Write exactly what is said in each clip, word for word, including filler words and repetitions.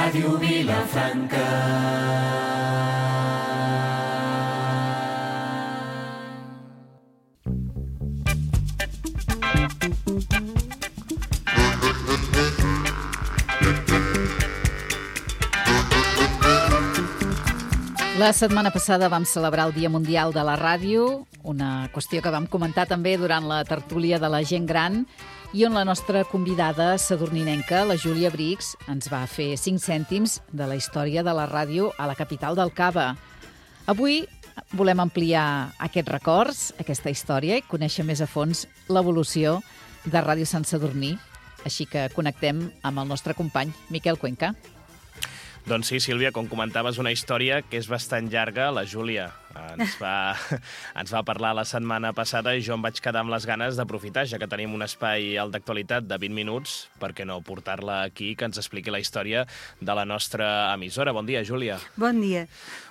Ràdio Vilafranca. La setmana passada vam celebrar el Dia Mundial de la Ràdio, una qüestió que vam comentar també durant la tertúlia de la gent gran, i on la nostra convidada sadurninenca, la Júlia Brix, ens va fer cinc cèntims de la història de la ràdio a la capital del Cava. Avui volem ampliar aquests records, aquesta història, i conèixer més a fons l'evolució de Ràdio Sant Sadurní. Així que connectem amb el nostre company, Miquel Cuenca. Doncs sí, Sílvia, com comentaves, una història que és bastant llarga. La Júlia ens va, ens va parlar la setmana passada i jo em vaig quedar amb les ganes d'aprofitar, ja que tenim un espai al d'actualitat de vint minuts, per què no portar-la aquí, que ens expliqui la història de la nostra emissora. Bon dia, Júlia. Bon dia.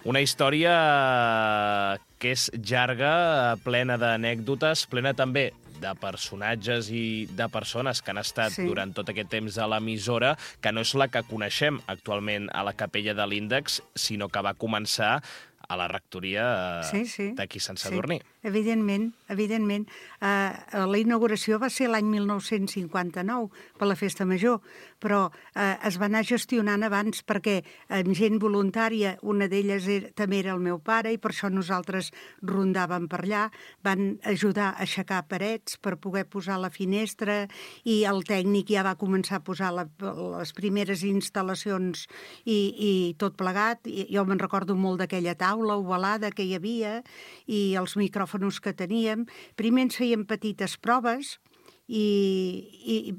Una història que és llarga, plena d'anècdotes, plena també de personatges i de persones que han estat sí. durant tot aquest temps a l'emissora, que no és la que coneixem actualment a la Capella de l'Índex, sinó que va començar a la rectoria sí, sí. d'aquí Sant Sadurní. Sí. Evidentment, evidentment. Uh, la inauguració va ser l'any mil nou-cents cinquanta-nou, per la Festa Major, però uh, es va anar gestionant abans perquè amb gent voluntària, una d'elles era, també era el meu pare, i per això nosaltres rondàvem per allà, van ajudar a aixecar parets per poder posar la finestra, i el tècnic ja va començar a posar la, les primeres instal·lacions i, i tot plegat. I, jo me'n recordo molt d'aquella taula ovalada que hi havia i els micròfons que teníem. Primer ens feien petites proves i, i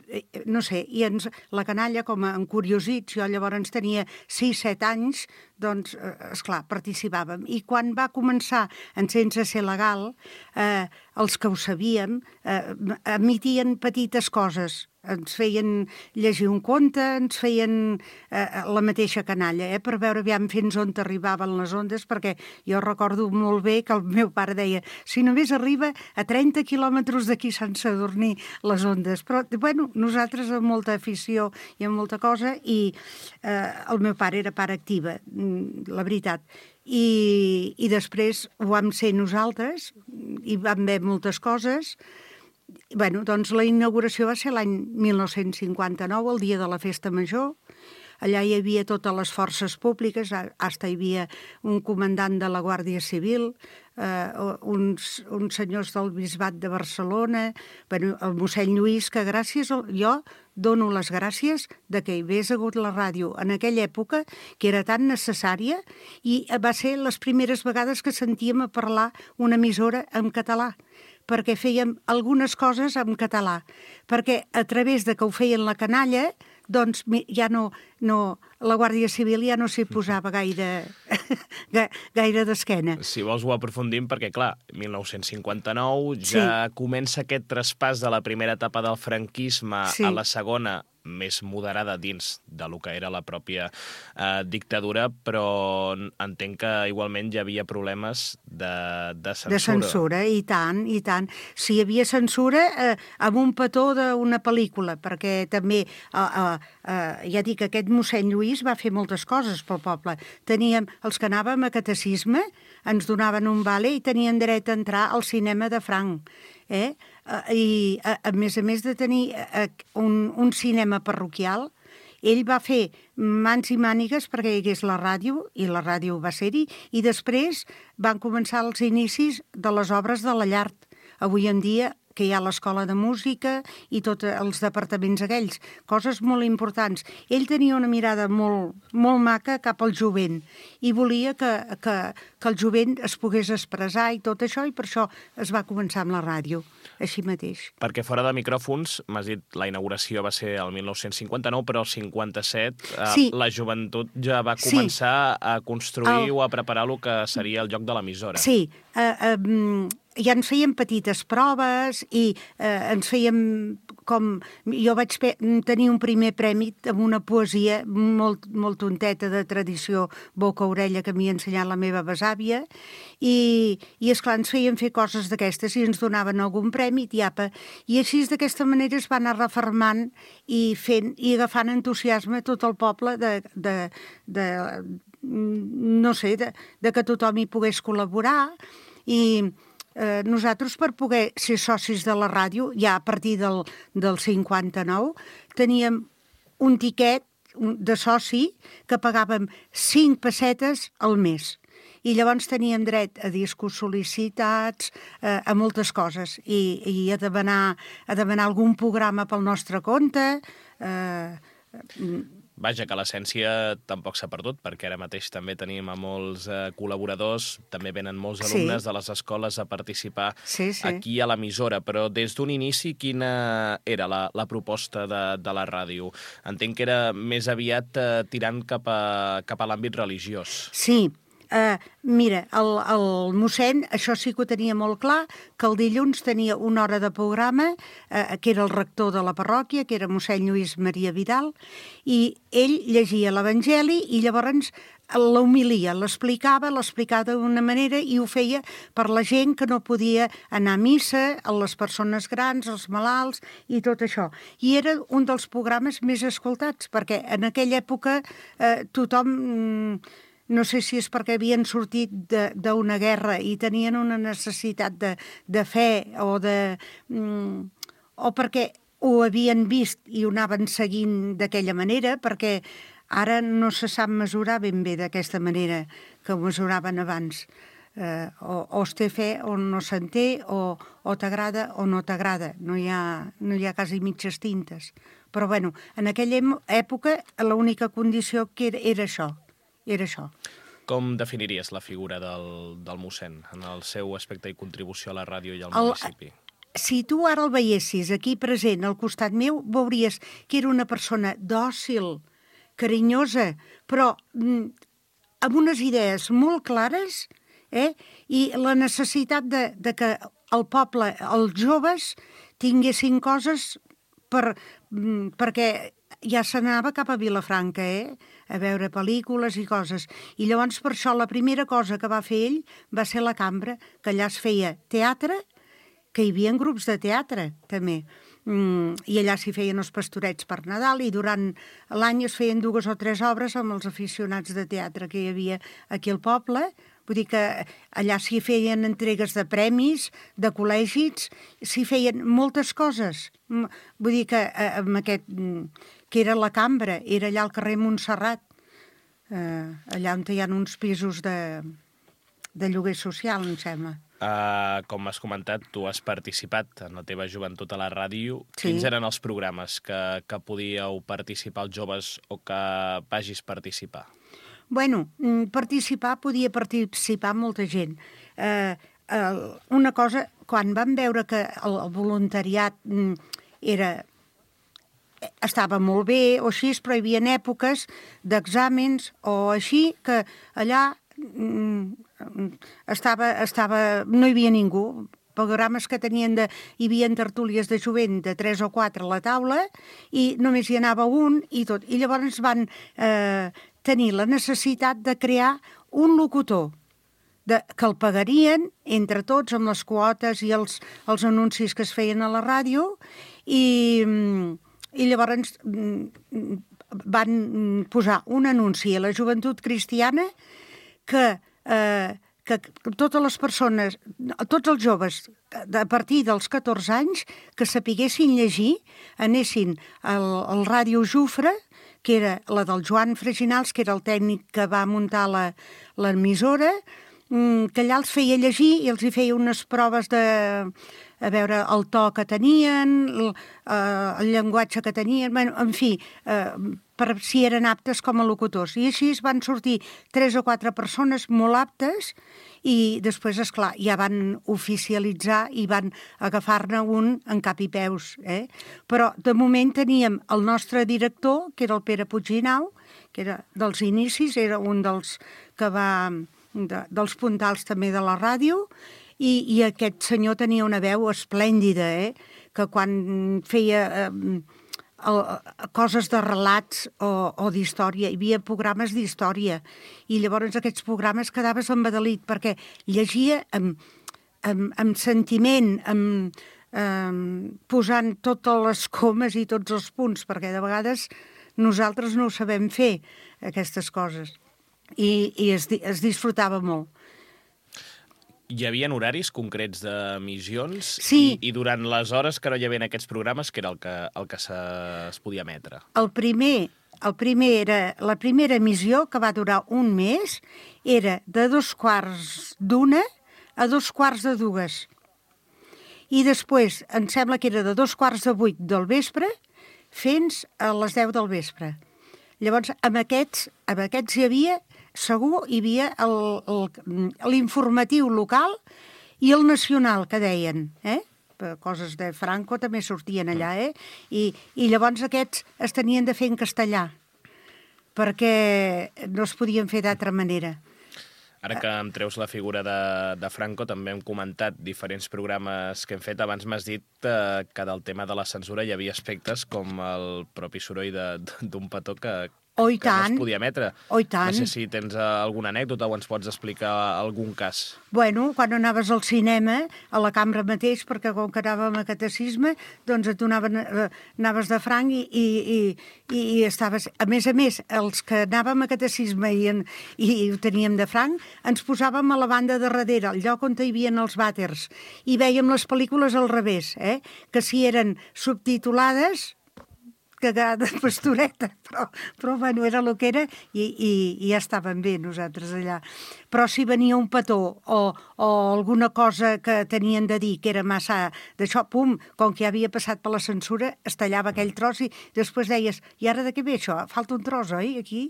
no sé, i ens, la canalla, com a encuriosits, jo llavors tenia sis set anys, doncs, esclar, participàvem. I quan va començar, en sense ser legal, eh, els que ho sabíem eh, emitien petites coses. Ens feien llegir un conte, ens feien eh, la mateixa canalla, eh, per veure aviam fins on arribaven les ondes, perquè jo recordo molt bé que el meu pare deia si només arriba a trenta quilòmetres d'aquí Sant Sadurní les ondes. Però, bueno, nosaltres amb molta afició i amb molta cosa, i eh, el meu pare era pare activa, la veritat. I, i després ho vam ser nosaltres, i vam veure moltes coses. Bueno, doncs la inauguració va ser l'any mil nou-cents cinquanta-nou, el dia de la Festa Major. Allà hi havia totes les forces públiques, hasta hi havia un comandant de la Guàrdia Civil, eh, uns, uns senyors del Bisbat de Barcelona, bueno, el mossèn Lluís, que gràcies a, jo dono les gràcies de que hi hagués hagut la ràdio en aquella època, que era tan necessària, i va ser les primeres vegades que sentíem a parlar una emissora en català, perquè fèiem algunes coses en català, perquè a través de que ho feien la canalla, doncs ja no, no, la Guàrdia Civil ja no s'hi posava gaire, gaire d'esquena. Si vols ho aprofundim, perquè clar, mil nou-cents cinquanta-nou ja sí. comença aquest traspàs de la primera etapa del franquisme sí. a la segona, més moderada dins de lo que era la pròpia eh, dictadura, però entenc que igualment hi havia problemes de, de censura. De censura, i tant, i tant. Si hi havia censura eh, amb un petó d'una pel·lícula, perquè també, eh, eh, eh, ja dic, aquest mossèn Lluís va fer moltes coses pel poble. Teníem, els que anàvem a catecisme, ens donaven un vale i tenien dret a entrar al cinema de franc. Eh? I a, a més a més de tenir un, un cinema parroquial, ell va fer mans i mànigues perquè hi hagués la ràdio, i la ràdio va ser-hi, i després van començar els inicis de les obres de la llar. Avui en dia que hi ha l'Escola de Música i tots els departaments aquells, coses molt importants. Ell tenia una mirada molt, molt maca cap al jovent i volia que, que, que el jovent es pogués expressar i tot això, i per això es va començar amb la ràdio, així mateix. Perquè fora de micròfons, m'has dit, la inauguració va ser el mil nou-cents cinquanta-nou, però el cinquanta-set eh, sí. la joventut ja va començar sí. a construir el... o a preparar el que seria el lloc de l'emissora. Sí, eh, eh, ja ens feien petites proves i eh, ens feien com... Jo vaig tenir un primer premi amb una poesia molt, molt tonteta de tradició boca-orella que m'hi ha ensenyat la meva besàvia i, i esclar, ens feien fer coses d'aquestes i ens donaven algun premi, tiapa, i així d'aquesta manera es va anar refermant i fent i agafant entusiasme tot el poble de, de, de no sé, de, de que tothom hi pogués col·laborar i eh, nosaltres per poder ser socis de la ràdio, ja a partir del, del cinquanta-nou, teníem un tiquet de soci que pagàvem cinc pessetes al mes. I llavors teníem dret a discos sol·licitats, eh, a moltes coses, i, i a, demanar, a demanar algun programa pel nostre compte. Eh, Vaja, que l'essència tampoc s'ha perdut, perquè ara mateix també tenim a molts eh, col·laboradors, també venen molts alumnes sí. de les escoles a participar sí, sí. aquí a l'emissora, però des d'un inici quina era la, la proposta de, de la ràdio? Entenc que era més aviat eh, tirant cap a, cap a l'àmbit religiós. Sí. Uh, mira, el, el mossèn, això sí que ho tenia molt clar, que el dilluns tenia una hora de programa, uh, que era el rector de la parròquia, que era mossèn Lluís Maria Vidal, i ell llegia l'Evangeli i llavors l'humilia, l'explicava, l'explicava d'una manera i ho feia per la gent que no podia anar a missa, a les persones grans, als malalts i tot això. I era un dels programes més escoltats, perquè en aquella època eh, tothom... Mm, no sé si és perquè havien sortit d'una guerra i tenien una necessitat de, de fe o de... Mm, o perquè ho havien vist i ho anaven seguint d'aquella manera, perquè ara no se sap mesurar ben bé d'aquesta manera que ho mesuraven abans. Eh, o, o es té fe o no se'n té, o, o t'agrada o no t'agrada. No hi ha, no hi ha quasi mitges tintes. Però, bueno, en aquella època l'única condició que era, era això. Era això. Com definiries la figura del, del mossèn en el seu aspecte i contribució a la ràdio i al el, municipi? Si tu ara el veiessis aquí present al costat meu, veuries que era una persona dòcil, carinyosa, però mm, amb unes idees molt clares, eh? I la necessitat de, de que el poble, els joves, tinguessin coses per, mm, perquè ja s'anava cap a Vilafranca, eh? A veure pel·lícules i coses. I llavors per això la primera cosa que va fer ell va ser la cambra, que allà es feia teatre, que hi havia grups de teatre també. Mm, I allà s'hi feien els pastorets per Nadal i durant l'any es feien dues o tres obres amb els aficionats de teatre que hi havia aquí al poble. Vull dir que allà s'hi feien entregues de premis, de col·legis, s'hi feien moltes coses. Vull dir que amb aquest... que era la cambra, era allà al carrer Montserrat, eh, allà on hi ha uns pisos de, de lloguer social, em sembla. Uh, com has comentat, tu has participat en la teva joventut a la ràdio. Sí. Quins eren els programes que, que podíeu participar els joves o que vagis participar? Bueno, participar, podia participar molta gent. Eh, eh, una cosa, quan vam veure que el voluntariat era... estava molt bé o així, però hi havia èpoques d'exàmens o així que allà mm, estava, estava, no hi havia ningú. Programes que tenien de... Hi havia tertúlies de jovent de tres o quatre a la taula i només hi anava un i tot. I llavors van eh, tenir la necessitat de crear un locutor de, que el pagarien entre tots amb les quotes i els, els anuncis que es feien a la ràdio i... I llavors van posar un anunci a la Joventut Cristiana que, eh, que totes les persones, tots els joves a partir dels catorze anys que sapiguessin llegir, anessin al, al Ràdio Jufre, que era la del Joan Freginals, que era el tècnic que va muntar l'emissora, que allà els feia llegir i els hi feia unes proves de... a veure el to que tenien, el, eh, el llenguatge que tenien, bueno, en fi, eh, per si eren aptes com a locutors. I així es van sortir tres o quatre persones molt aptes i després, esclar, ja van oficialitzar i van agafar-ne un en cap i peus. Eh? Però de moment teníem el nostre director, que era el Pere Puigginau, que era dels inicis, era un dels que va... De, dels puntals també de la ràdio, i, i aquest senyor tenia una veu esplèndida, eh? Que quan feia eh, coses de relats o, o d'història, hi havia programes d'història, i llavors aquests programes quedaves embadalit, perquè llegia amb, amb, amb sentiment, amb, amb, posant totes les comes i tots els punts, perquè de vegades nosaltres no ho sabem fer, aquestes coses. I, i es, es disfrutava molt. Hi havia horaris concrets d'emissions? Sí. I, I durant les hores que no hi havia aquests programes, que era el que, el que se, es podia emetre? El primer, el primer era, la primera emissió, que va durar un mes, era de dos quarts d'una a dos quarts de dues. I després, em sembla que era de dos quarts de vuit del vespre fins a les deu del vespre. Llavors, amb aquests, amb aquests hi havia, segur, hi havia l'informatiu local i el nacional, que deien, eh? Coses de Franco també sortien allà, eh? I, i llavors aquests es tenien de fer en castellà, perquè no es podien fer d'altra manera. Ara que em treus la figura de, de Franco, també hem comentat diferents programes que hem fet. Abans m'has dit eh, que del tema de la censura hi havia aspectes com el propi soroll d'un petó que, oh, que no es podia emetre. Oh, tant. No sé si tens alguna anècdota o ens pots explicar algun cas. Bueno, quan anaves al cinema, a la cambra mateix, perquè com que anàvem a catecisme, doncs et donaven, anaves de franc i, i, i, i estaves... A més a més, els que anàvem a catecisme i, en, i ho teníem de franc, ens posàvem a la banda de darrere, al lloc on hi havia els vàters, i vèiem les pel·lícules al revés, eh? Que si eren subtitulades, cagada de pastoreta, però, però bueno, era el que era i, i, i ja estàvem bé nosaltres allà. Però si venia un petó o, o alguna cosa que tenien de dir que era massa d'això, pum, com que ja havia passat per la censura, es tallava aquell tros i després deies, i ara de què ve això? Falta un tros, oi, aquí?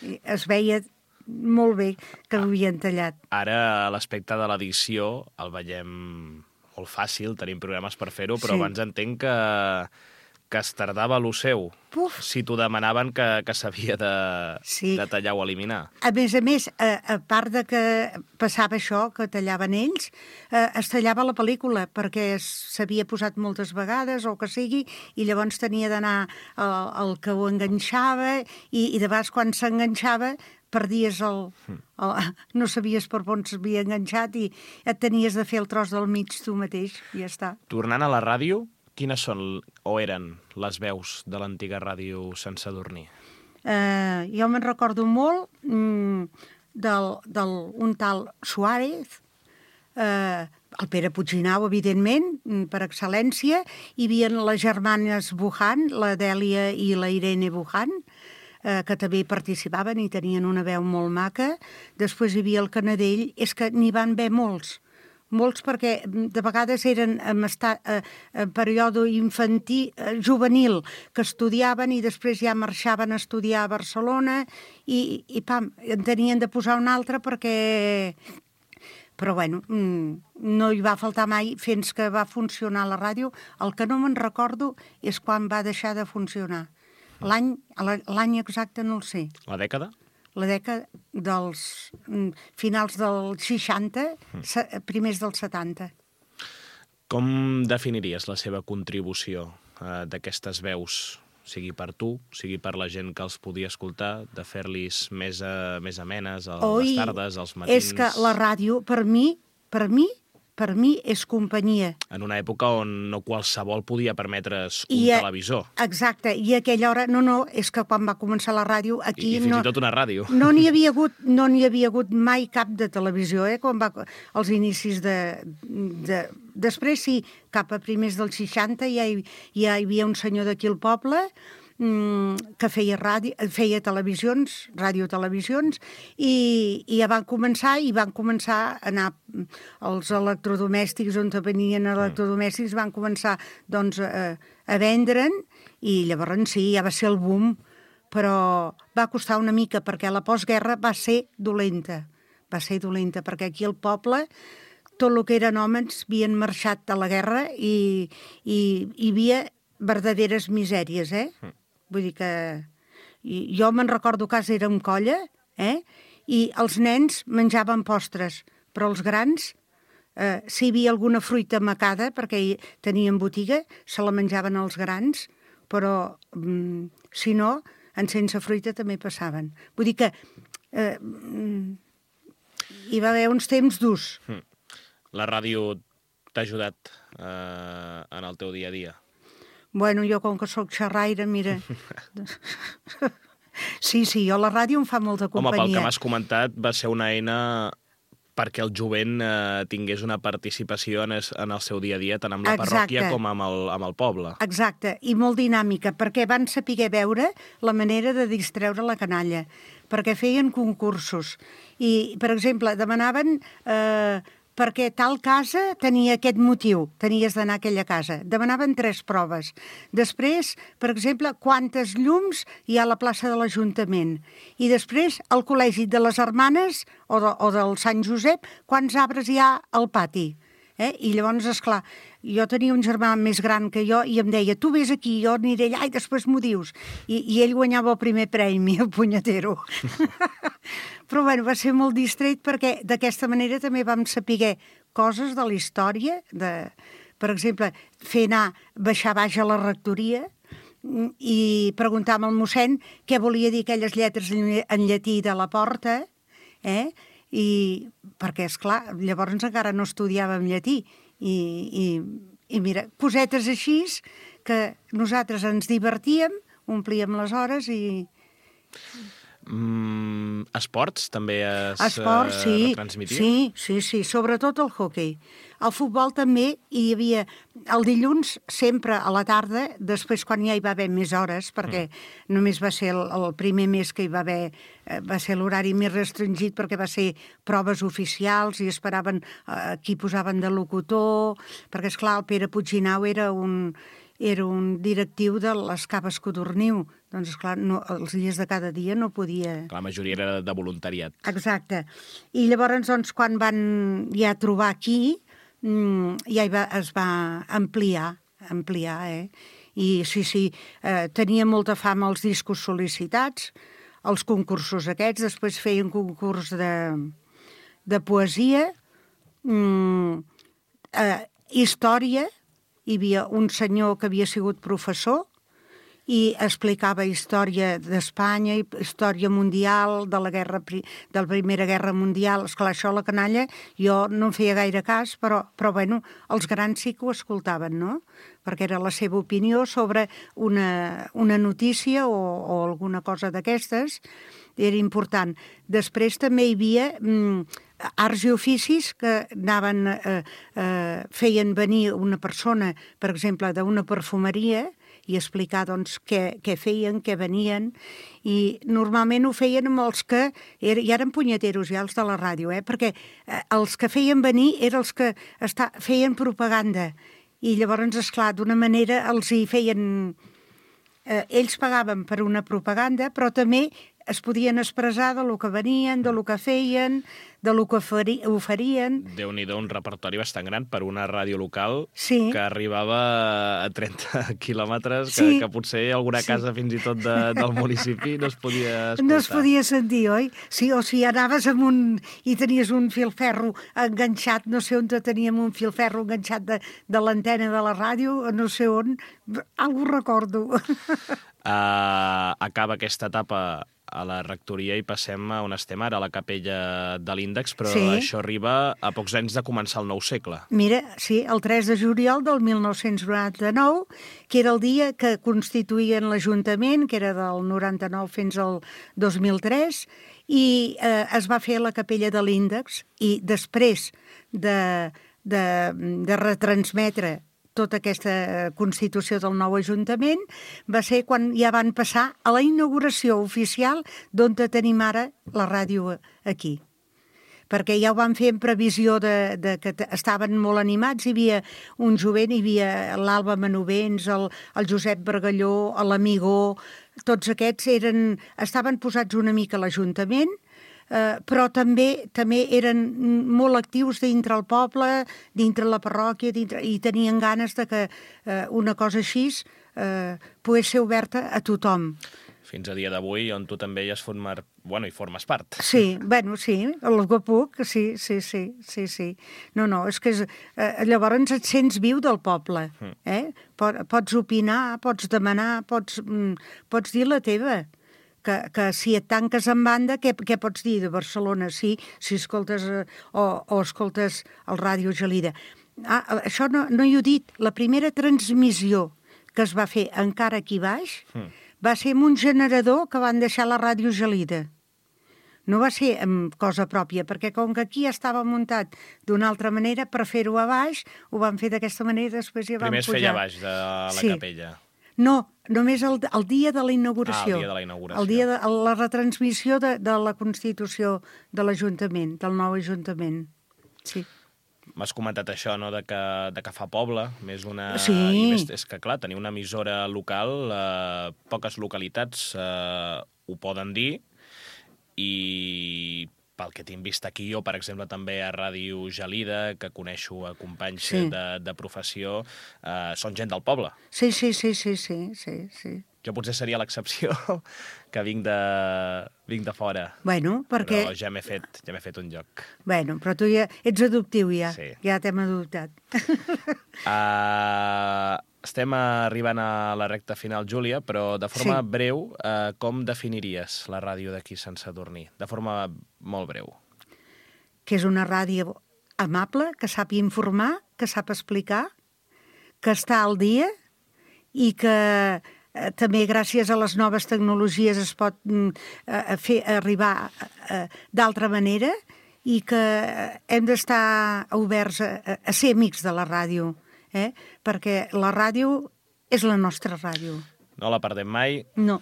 I es veia molt bé que ho havien tallat. Ara l'aspecte de l'edició el veiem molt fàcil, tenim programes per fer-ho, però sí. Abans entenc que que es tardava lo seu, Puf. Si t'ho demanaven que, que s'havia de, sí. de tallar o eliminar. A més a més, a, a part de que passava això, que tallaven ells, eh, es tallava la pel·lícula, perquè s'havia posat moltes vegades, o que sigui, i llavors tenia d'anar el, el que ho enganxava, i, i de vegades quan s'enganxava perdies el, el... no sabies per on s'havia enganxat i et tenies de fer el tros del mig tu mateix, i ja està. Tornant a la ràdio, quines són o eren les veus de l'antiga ràdio Sant Sadurní? Eh, jo me'n recordo molt mm, del, del un tal Suárez, eh, el Pere Puigginau, evidentment, per excel·lència. Hi havia les germanes Bujan, la Dèlia i la Irene Bujan, eh, que també participaven i tenien una veu molt maca. Després hi havia el Canadell. És que n'hi van haver molts. Molts perquè de vegades eren en, estat, eh, en període infantil, eh, juvenil, que estudiaven i després ja marxaven a estudiar a Barcelona i, i pam, en tenien de posar un altre perquè... Però bueno, no hi va faltar mai fins que va funcionar la ràdio. El que no me'n recordo és quan va deixar de funcionar. L'any l'any exacte no el sé. La dècada? La dècada dels finals dels seixanta, primers dels setanta. Com definiries la seva contribució eh, d'aquestes veus, sigui per tu, sigui per la gent que els podia escoltar, de fer-los més, a, més amenes a Oi, les tardes, als matins? És que la ràdio, per mi, per mi, per mi és companyia. En una època on no qualsevol podia permetre's un I a, televisor. Exacte, i a aquella hora, no, no, és que quan va començar la ràdio, aquí... I, i fins no, i tot una ràdio. No n'hi havia hagut, no n'hi havia hagut mai cap de televisió, eh, quan va, als inicis de, de... Després sí, cap a primers dels seixanta ja hi, ja hi havia un senyor d'aquí al poble que feia, ràdio, feia televisions, radiotelevisions, i, i ja van començar, i van començar a anar els electrodomèstics, on venien electrodomèstics, van començar doncs, a, a vendre'n, i llavors sí, ja va ser el boom, però va costar una mica, perquè la postguerra va ser dolenta, va ser dolenta, perquè aquí al poble tot el que eren homes havien marxat a la guerra i, i hi havia verdaderes misèries, eh? Vull dir que... Jo me'n recordo que érem colla, eh? I els nens menjaven postres, però els grans eh, si hi havia alguna fruita macada, perquè tenien botiga, se la menjaven els grans, però mm, si no, en sense fruita també passaven. Vull dir que eh, hi va haver uns temps durs. La ràdio t'ha ajudat eh, en el teu dia a dia? Bueno, jo com que sóc xerraire, mira... sí, sí, jo la ràdio em fa molta companyia. Home, pel que m'has comentat, va ser una eina perquè el jovent eh, tingués una participació en, es, en el seu dia a dia, tant amb la Exacte. parròquia com amb el, amb el poble. Exacte, i molt dinàmica, perquè van saber veure la manera de distreure la canalla, perquè feien concursos. I, per exemple, demanaven... Eh, perquè tal casa tenia aquest motiu, tenies d'anar a aquella casa. Demanaven tres proves. Després, per exemple, quantes llums hi ha a la plaça de l'Ajuntament. I després, al Col·legi de les Hermanes o, de, o del Sant Josep, quants arbres hi ha al pati. Eh? I llavors, esclar, jo tenia un germà més gran que jo i em deia, tu vés aquí, jo aniré allà i després m'ho dius. I, I ell guanyava el primer premi, el punyetero. Però bueno, va ser molt distret perquè d'aquesta manera també vam saber coses de la història, de, per exemple, fer anar, baixar baix a la rectoria i preguntar al mossèn què volia dir aquelles lletres en llatí de la porta, eh? I perquè, esclar, llavors encara no estudiàvem llatí i, i, i mira, cosetes així que nosaltres ens divertíem, omplíem les hores i... Mm, esports també es Esports, sí, uh, retransmitia? Sí, sí, sí, sobretot el hoquei. El futbol també hi havia... El dilluns, sempre a la tarda, després quan ja hi va haver més hores, perquè mm. només va ser el, el primer mes que hi va haver, va ser l'horari més restringit perquè va ser proves oficials i esperaven eh, qui posaven de locutor, perquè, esclar, el Pere Puigginau era un... era un directiu de les Caves Codorniu. Doncs, esclar, no, els dies de cada dia no podia... La majoria era de voluntariat. Exacte. I llavors, doncs, quan van ja trobar aquí, ja va, es va ampliar, ampliar, eh? I sí, sí, eh, tenia molta fama els discos sol·licitats, els concursos aquests, després feien concurs de, de poesia, mm, eh, història. Hi havia un senyor que havia sigut professor i explicava història d'Espanya, història mundial, de la, guerra, de la Primera Guerra Mundial. Esclar, això a la canalla jo no en feia gaire cas, però, però bueno, els grans sí que ho escoltaven, no? Perquè era la seva opinió sobre una, una notícia o, o alguna cosa d'aquestes. Era important. Després també hi havia mm, arts i oficis que anaven, eh, eh, feien venir una persona, per exemple, d'una perfumeria i explicar doncs, què, què feien, què venien, i normalment ho feien amb els que er, ja eren punyeteros, ja els de la ràdio, eh? Perquè eh, els que feien venir eren els que està, feien propaganda, i llavors, esclar, d'una manera els hi feien... Eh, ells pagaven per una propaganda, però també es podien expressar de lo que venien, de lo que feien, de lo que oferien. Déu-n'hi-do, un repertori bastant gran per una ràdio local sí. que arribava a trenta quilòmetres, sí. que, que potser alguna sí. casa fins i tot de, del municipi no es podia escoltar. No es podia sentir, oi? Sí, o si anaves amb un... i tenies un filferro enganxat, no sé on teníem un filferro enganxat de, de l'antena de la ràdio, no sé on, algú recordo. Uh, acaba aquesta etapa a la rectoria i passem a on estem ara, a la capella de l'Índex, però sí. Això arriba a pocs anys de començar el nou segle. Mira, sí, el tres de juliol del mil nou-cents noranta-nou, que era el dia que constituïen l'Ajuntament, que era del noranta-nou fins al dos mil tres, i eh, es va fer la capella de l'Índex, i després de, de, de retransmetre tota aquesta constitució del nou Ajuntament, va ser quan ja van passar a la inauguració oficial d'on tenim ara la ràdio aquí. Perquè ja ho van fer en previsió de, de que estaven molt animats, hi havia un jovent, hi havia l'Alba Manovens, el, el Josep Bargalló, l'Amigó, tots aquests eren, estaven posats una mica a l'Ajuntament, Uh, però també també eren molt actius dintre el poble, dintre la parròquia, dintre, i tenien ganes de que uh, una cosa així uh, pogués ser oberta a tothom. fins a dia d'avui, on tu també hi has format, bueno, hi formes part. Sí, bueno, sí, el que puc, sí, sí, sí, sí, sí. No, no, és que és, eh, llavors et sents viu del poble, eh? Pots opinar, pots demanar, pots, mm, pots dir la teva. Que, que si et tanques en banda, què, què pots dir de Barcelona? Sí, si escoltes eh, o, o escoltes el Ràdio Gelida. Ah, això no, no hi he dit. La primera transmissió que es va fer encara aquí baix mm. va ser amb un generador que van deixar la Ràdio Gelida. No va ser amb cosa pròpia, perquè com que aquí ja estava muntat d'una altra manera, per fer-ho a baix, ho van fer d'aquesta manera i després ja van Primer es pujar. feia a baix de la sí. capella. No, només el, el dia de la inauguració. Ah, el dia de la inauguració. El dia de la retransmissió de, de la Constitució de l'Ajuntament, del nou Ajuntament. Sí. M'has comentat això, no?, de que, de que fa poble, més una... Sí. I més, és que, clar, tenir una emissora local, eh, poques localitats eh, ho poden dir, i pel que tinc vist aquí, jo, per exemple, també a Ràdio Gelida, que coneixo a companys sí. de, de professió, eh, són gent del poble. Sí, sí, sí, sí, sí, sí, sí. Jo potser seria l'excepció, que vinc de, vinc de fora. Bueno, perquè... Però ja m'he fet, ja m'he fet un lloc. Bueno, però tu ja ets adoptiu, ja. Sí. Ja t'hem adoptat. Uh, estem arribant a la recta final, Júlia, però de forma sí. breu, uh, com definiries la ràdio d'aquí Sant Sadurní? De forma molt breu. Que és una ràdio amable, que sap informar, que sap explicar, que està al dia i que eh, també gràcies a les noves tecnologies es pot eh, fer arribar eh, d'altra manera i que hem d'estar oberts a, a ser amics de la ràdio. Eh? Perquè la ràdio és la nostra ràdio. No la perdem mai. No.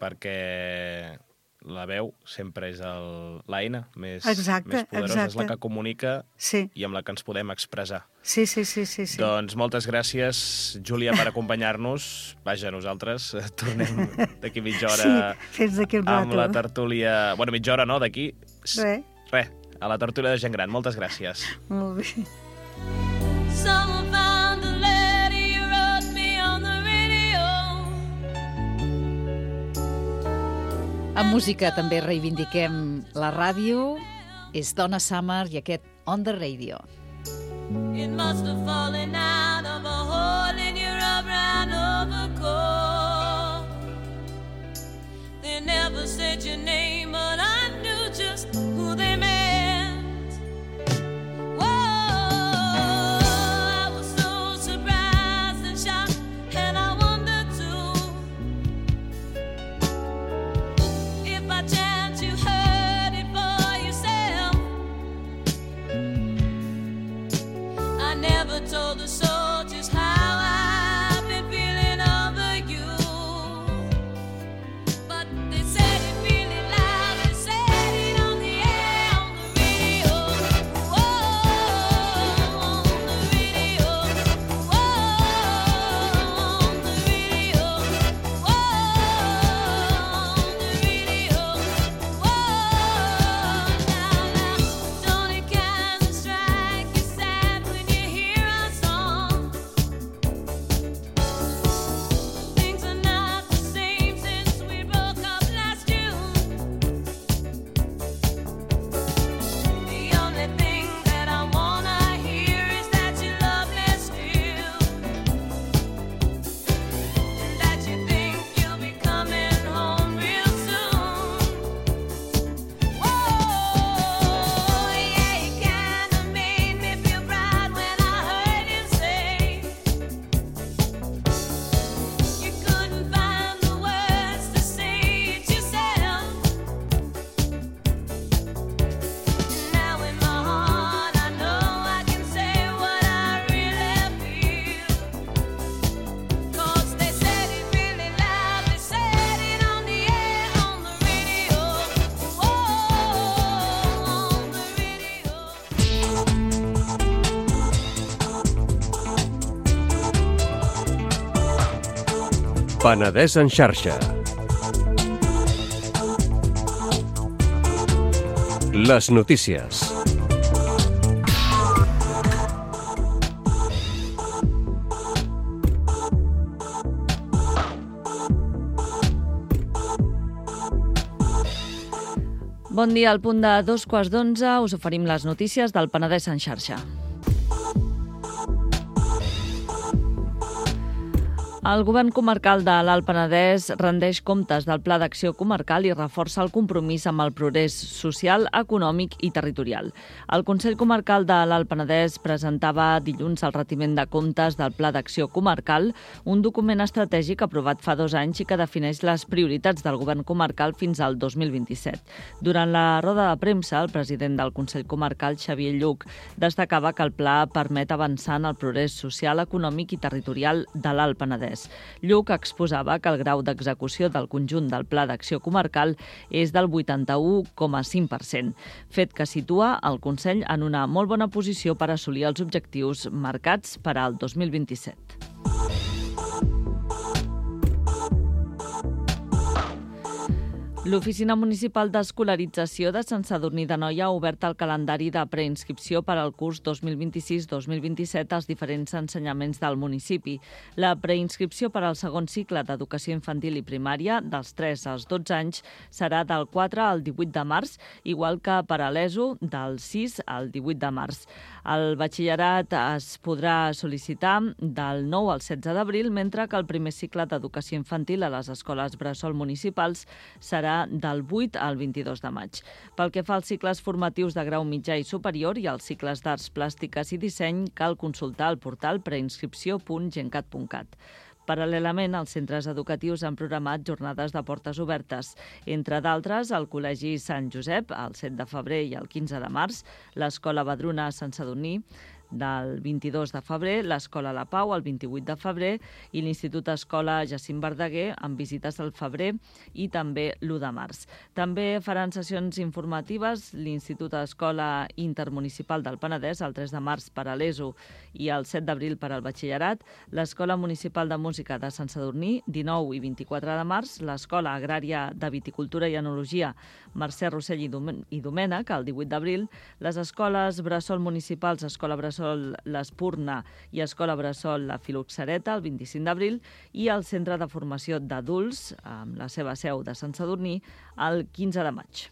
Perquè la veu sempre és el, l'eina més, exacte, més poderosa. Exacte. És la que comunica sí. i amb la que ens podem expressar. Sí, sí, sí. sí, sí. Doncs moltes gràcies, Júlia, per acompanyar-nos. Vaja, nosaltres tornem d'aquí mitja hora sí, fins d'aquí un rato. Amb la tertúlia... Bueno, mitja hora no, d'aquí... Res. Res, a la tertúlia de gent gran. Moltes gràcies. Molt bé. En música també reivindiquem la ràdio. És Donna Summer i aquest On the Radio. It must have fallen out of a hole in your brown overcoat. They never said your name, but I knew just who they meant. Told the soldiers how I've been feeling over you, but they said it really loud, they said it on the air, on the radio, whoa, on the radio, whoa, on the radio, whoa, on the radio, whoa, now, now, don't it kind of strike you sad when you hear Penedès en xarxa. Les notícies. Bon dia, al punt de dos quarts d'onze us oferim les notícies del Penedès en xarxa. El govern comarcal de l'Alt Penedès rendeix comptes del Pla d'Acció Comarcal i reforça el compromís amb el progrés social, econòmic i territorial. El Consell Comarcal de l'Alt Penedès presentava dilluns el retiment de comptes del Pla d'Acció Comarcal, un document estratègic aprovat fa dos anys i que defineix les prioritats del govern comarcal fins al dos mil vint-i-set. Durant la roda de premsa, el president del Consell Comarcal, Xavier Lluc, destacava que el pla permet avançar en el progrés social, econòmic i territorial de l'Alt Penedès. Lluc exposava que el grau d'execució del conjunt del Pla d'Acció Comarcal és del vuitanta-u coma cinc per cent, fet que situa el Consell en una molt bona posició per assolir els objectius marcats per al dos mil vint-i-set. L'Oficina Municipal d'Escolarització de Sant Sadurní d'Anoia ha obert el calendari de preinscripció per al curs dos mil vint-i-sis dos mil vint-i-set als diferents ensenyaments del municipi. La preinscripció per al segon cicle d'educació infantil i primària, dels tres als dotze anys, serà del quatre al divuit de març, igual que per a l'ESO, del sis al divuit de març. El batxillerat es podrà sol·licitar del nou al setze d'abril, mentre que el primer cicle d'educació infantil a les escoles bressol municipals serà del vuit al vint-i-dos de maig. Pel que fa als cicles formatius de grau mitjà i superior i als cicles d'arts plàstiques i disseny, cal consultar el portal preinscripció punt gencat punt cat. Paral·lelament, els centres educatius han programat jornades de portes obertes. Entre d'altres, el Col·legi Sant Josep, el set de febrer i el quinze de març, l'Escola Badruna a Sant Sadurní, del vint-i-dos de febrer, l'Escola La Pau el vint-i-vuit de febrer i l'Institut Escola Jacint Verdaguer amb visites al febrer i també l'u de març. També faran sessions informatives l'Institut Escola Intermunicipal del Penedès el tres de març per a l'ESO i el set d'abril per al batxillerat, l'Escola Municipal de Música de Sant Sadurní dinou i vint-i-quatre de març, l'Escola Agrària de Viticultura i Enologia Mercè Rossell i Domènech el divuit d'abril, les escoles bressol municipals Escola Bressol l'Espurna i Escola Bressol la Filoxereta el vint-i-cinc d'abril i el Centre de Formació d'Adults, amb la seva seu de Sant Sadurní, el quinze de maig.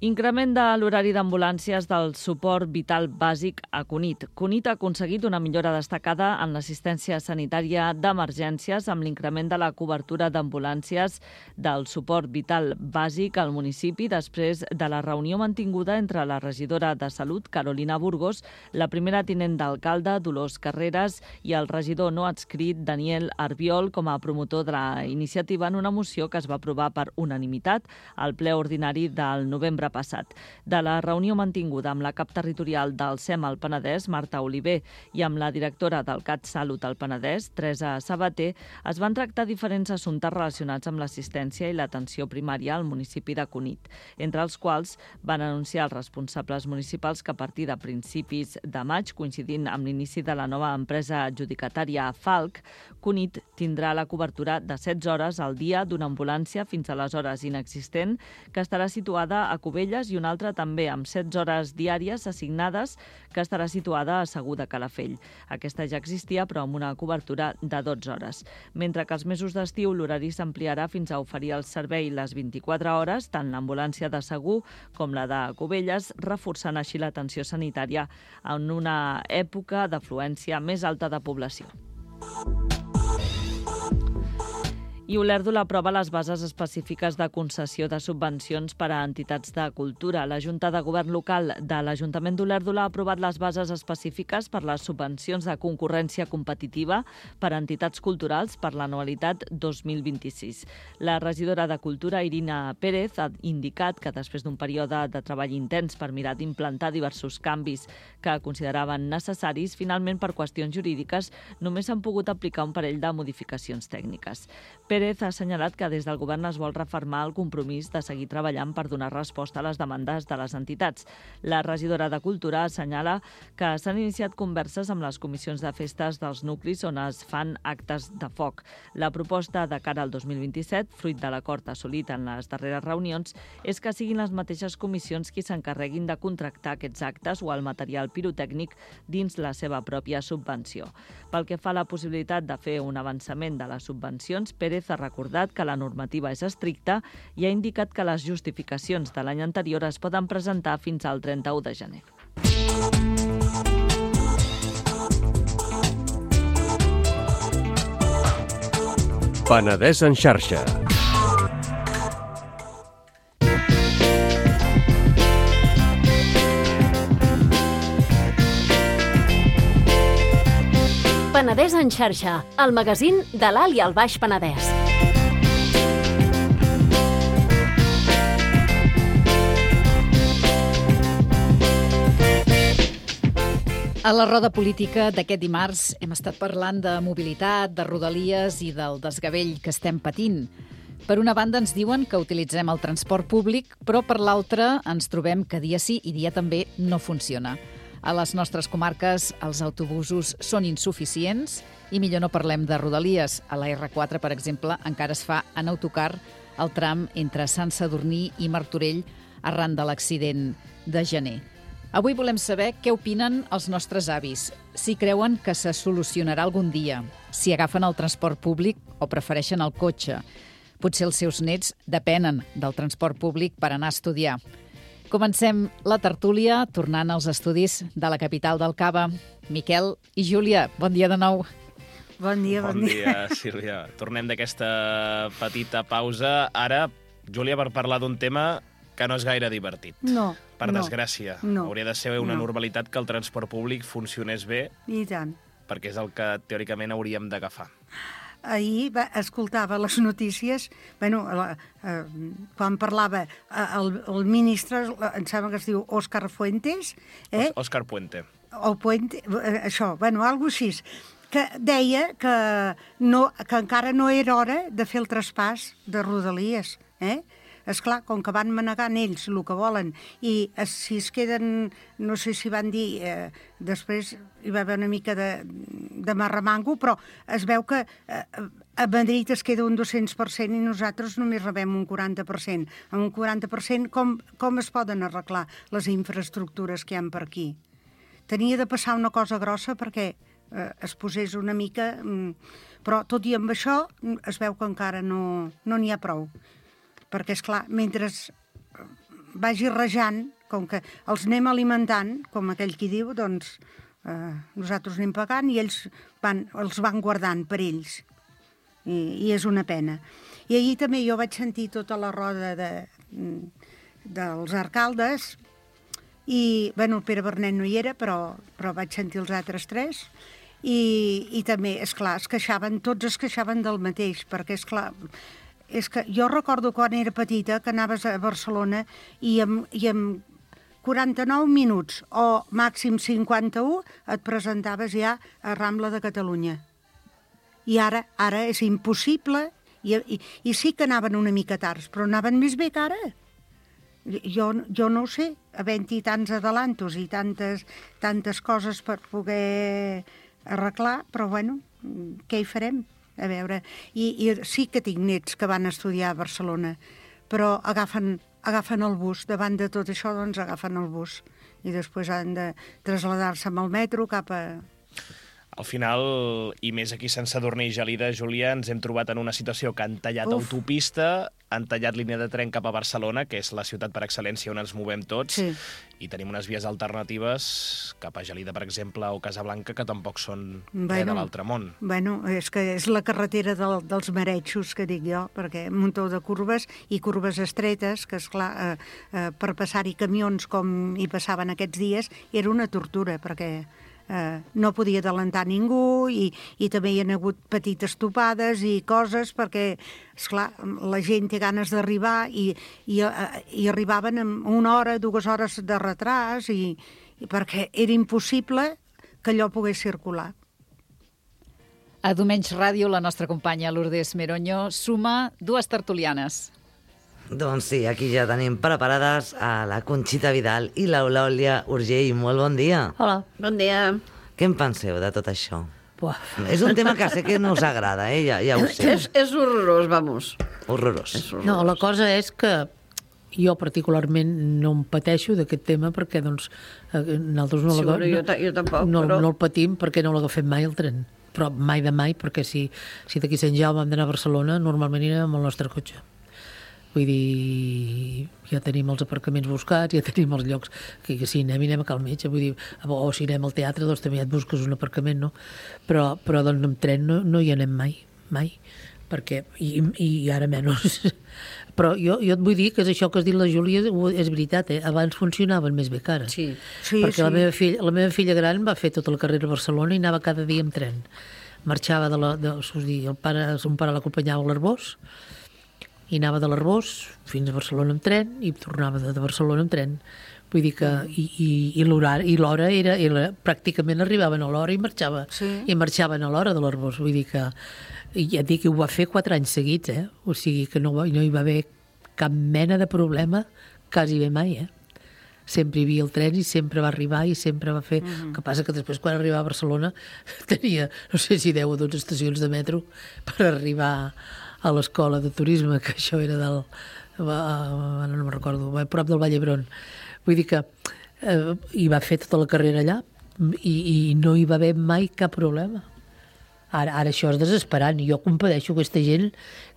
Increment de l'horari d'ambulàncies del suport vital bàsic a Cunit. Cunit ha aconseguit una millora destacada en l'assistència sanitària d'emergències amb l'increment de la cobertura d'ambulàncies del suport vital bàsic al municipi després de la reunió mantinguda entre la regidora de Salut, Carolina Burgos, la primera tinent d'alcalde, Dolors Carreras, i el regidor no adscrit, Daniel Arbiol, com a promotor de la iniciativa en una moció que es va aprovar per unanimitat al ple ordinari del novembre passat. De la reunió mantinguda amb la cap territorial del SEM al Penedès, Marta Oliver, i amb la directora del CatSalut al Penedès, Teresa Sabater, es van tractar diferents assumptes relacionats amb l'assistència i l'atenció primària al municipi de Cunit, entre els quals van anunciar els responsables municipals que a partir de principis de maig, coincidint amb l'inici de la nova empresa adjudicatària Falc, Cunit tindrà la cobertura de setze hores al dia d'una ambulància fins a les hores inexistent, que estarà situada a Cubelles, i una altra també amb setze hores diàries assignades que estarà situada a Segur de Calafell. Aquesta ja existia, però amb una cobertura de dotze hores. Mentre que als mesos d'estiu l'horari s'ampliarà fins a oferir el servei les vint-i-quatre hores, tant l'ambulància de Segur com la de Cubelles, reforçant així l'atenció sanitària en una època d'afluència més alta de població. I Olèrdola aprova les bases específiques de concessió de subvencions per a entitats de cultura. La Junta de Govern Local de l'Ajuntament d'Olèrdola ha aprovat les bases específiques per les subvencions de concurrència competitiva per a entitats culturals per l'anualitat dos mil vint-i-sis. La regidora de Cultura, Irina Pérez, ha indicat que després d'un període de treball intens per mirar d'implantar diversos canvis que consideraven necessaris, finalment per qüestions jurídiques només s'han pogut aplicar un parell de modificacions tècniques. Pérez ha assenyalat que des del govern es vol refermar el compromís de seguir treballant per donar resposta a les demandes de les entitats. La regidora de Cultura assenyala que s'han iniciat converses amb les comissions de festes dels nuclis on es fan actes de foc. La proposta de cara al dos mil vint-i-set, fruit de l'acord assolit en les darreres reunions, és que siguin les mateixes comissions qui s'encarreguin de contractar aquests actes o el material pirotècnic dins la seva pròpia subvenció. Pel que fa a la possibilitat de fer un avançament de les subvencions, Pérez ha recordat que la normativa és estricta i ha indicat que les justificacions de l'any anterior es poden presentar fins al trenta-u de gener. Penedès en xarxa. Penedès en xarxa, el magazín de l'Alt i el Baix Penedès. A la roda política d'aquest dimarts hem estat parlant de mobilitat, de rodalies i del desgavell que estem patint. Per una banda ens diuen que utilitzem el transport públic, però per l'altra ens trobem que dia sí i dia també no funciona. A les nostres comarques els autobusos són insuficients i millor no parlem de rodalies. A la erre quatre, per exemple, encara es fa en autocar el tram entre Sant Sadurní i Martorell arran de l'accident de gener. Avui volem saber què opinen els nostres avis, si creuen que se solucionarà algun dia, si agafen el transport públic o prefereixen el cotxe. Potser els seus nets depenen del transport públic per anar a estudiar. Comencem la tertúlia tornant als estudis de la capital del Cava. Miquel i Júlia, bon dia de nou. Bon dia, bon, Bon dia. dia, Sílvia. Tornem d'aquesta petita pausa. Ara, Júlia, per parlar d'un tema que no és gaire divertit. No, Per no. desgràcia. No. Hauria de ser una No. normalitat que el transport públic funcionés bé, I tant. perquè és el que teòricament hauríem d'agafar. Ahir va, escoltava les notícies, bueno, la, eh, quan parlava eh, el, el ministre, em sembla que es diu Òscar Fuentes, eh? Òscar Puente. o Puente, eh, això, bueno, alguna cosa així, que deia que, no, que encara no era hora de fer el traspàs de rodalies, eh? Esclar, com que van manegant ells el que volen i es, si es queden, no sé si van dir, eh, després hi va haver una mica de, de marremango, però es veu que eh, a Madrid es queda un dos-cents per cent i nosaltres només rebem un quaranta per cent. Amb un quaranta per cent com, com es poden arreglar les infraestructures que hi ha per aquí? Tenia de passar una cosa grossa perquè eh, es posés una mica, mm, però tot i amb això es veu que encara no n'hi no ha prou. Perquè, és clar, mentre vagi rejant, com que els anem alimentant, com aquell qui diu, doncs eh, nosaltres anem pagant i ells van, els van guardant per ells. I, I és una pena. I ahir també jo vaig sentir tota la roda de, dels alcaldes i, bueno, el Pere Bernet no hi era, però, però vaig sentir els altres tres i, i també, és clar, es queixaven, tots es queixaven del mateix, perquè, és clar, és que jo recordo quan era petita que anaves a Barcelona i amb, i amb quaranta-nou minuts o màxim cinquanta-u et presentaves ja a Rambla de Catalunya. I ara ara és impossible i, i, i sí que anaven una mica tard, però anaven més bé que ara. Jo, jo no ho sé, havent-hi tants adelantos i tantes, tantes coses per poder arreglar, però bueno, què hi farem? A veure, i, i sí que tinc nets que van estudiar a Barcelona, però agafen, agafen el bus, davant de tot això, doncs agafen el bus, i després han de traslladar-se amb el metro cap a... Al final, i més aquí a Sant Sadurní i Gelida, Júlia, ens hem trobat en una situació que han tallat Uf. autopista, han tallat línia de tren cap a Barcelona, que és la ciutat per excel·lència on ens movem tots, Sí. i tenim unes vies alternatives cap a Gelida, per exemple, o Casablanca, que tampoc són Bueno. res de l'altre món. Bueno, és que és la carretera del, dels maretxos, que dic jo, perquè un muntó de curves i curves estretes, que esclar, eh, eh, per passar-hi camions com hi passaven aquests dies, era una tortura, perquè eh, no podia adelantar ningú i, i també hi ha hagut petites topades i coses perquè, esclar, la gent té ganes d'arribar i, i, eh, i arribaven en una hora, dues hores de retras i, i perquè era impossible que allò pogués circular. A Domenys Ràdio, la nostra companya Lourdes Meroño suma dues tertulianes. Doncs sí, aquí ja tenim preparades a la Conxita Vidal i l'Eulàlia Urgell. Molt bon dia. Hola. Bon dia. Què en penseu de tot això? Buah. És un tema que sé que no us agrada, eh? Ja, ja ho sé. És, és horrorós, vamos. Horrorós. És horrorós. No, la cosa és que jo particularment no em pateixo d'aquest tema perquè doncs, nosaltres no, Sí, la, bueno, jo, ta- jo tampoc, no, però... no el patim perquè no l'agafem mai el tren. Però mai de mai, perquè si, si d'aquí Sant Jaume hem d'anar a Barcelona, normalment anirem amb el nostre cotxe. Vull dir, ja tenim els aparcaments buscats, ja tenim els llocs que, que si anem, anem a cal metge, vull dir, o si anem al teatre, doncs també ja et busques un aparcament, no? Però, però doncs amb tren no, no hi anem mai, mai, perquè, i, i ara menys. Però jo, jo et vull dir que és això que has dit la Júlia, és veritat, eh? Abans funcionaven més bé que ara. Sí. Sí, perquè sí. La, meva filla, la meva filla gran va fer tota la carrera a Barcelona i anava cada dia amb tren. Marxava de la... De, dir, el pare, son pare l'acompanyava a l'Arbós, i anava de l'Arbós fins a Barcelona amb tren i tornava de, de Barcelona amb tren. Vull dir que... I, i, i l'hora i l'hora era, era... Pràcticament arribaven a l'hora i marxava. Sí. I marxaven a l'hora de l'Arbós. Vull dir que... I ja et dic que ho va fer quatre anys seguits, eh? O sigui que no, va, no hi va haver cap mena de problema quasi bé mai, eh? Sempre hi havia el tren i sempre va arribar i sempre va fer... Mm-hmm. El que passa que després, quan arribava a Barcelona, tenia, no sé si deu o dotze estacions de metro per arribar a l'escola de turisme, que això era del... Ara no me'n recordo, a prop del Vall d'Hebron. Vull dir que eh, hi va fer tota la carrera allà i, i no hi va haver mai cap problema. Ara, ara això és desesperant. Jo compadeixo aquesta gent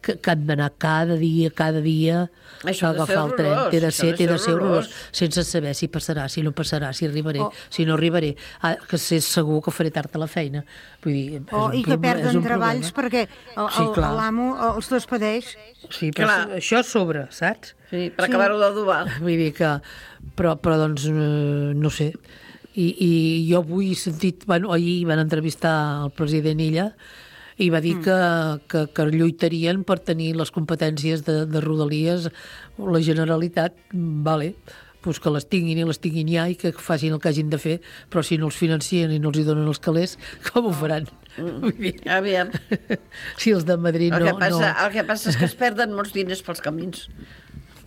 que, que han d'anar cada dia, cada dia Això a ha de ser agafar el tren. horrorós, Té de això ser, ha de té de ser ser horrorós, horrorós. sense saber si passarà, si no passarà, si arribaré, Oh. si no arribaré. Ah, que sé segur que faré tard a la feina. Vull dir, és Oh, un I que proble- és perden un treballs problema. perquè el- Sí, el- clar. l'amo els despedeix. Sí, però Clar. això és sobre, saps? Sí, per acabar-ho d'adobar. Vull dir que... Però, però doncs, eh, no sé. I, I jo avui he sentit... Bueno, ahir van entrevistar el president Illa i va dir mm. que, que, que lluitarien per tenir les competències de, de Rodalies. La Generalitat, vale, pues que les tinguin i les tinguin ja i que facin el que hagin de fer, però si no els financien i no els hi donen els calés, com ho faran? Mm. Vull dir, Aviam. si els de Madrid El no... que, passa, no... el que passa és que es perden molts diners pels camins.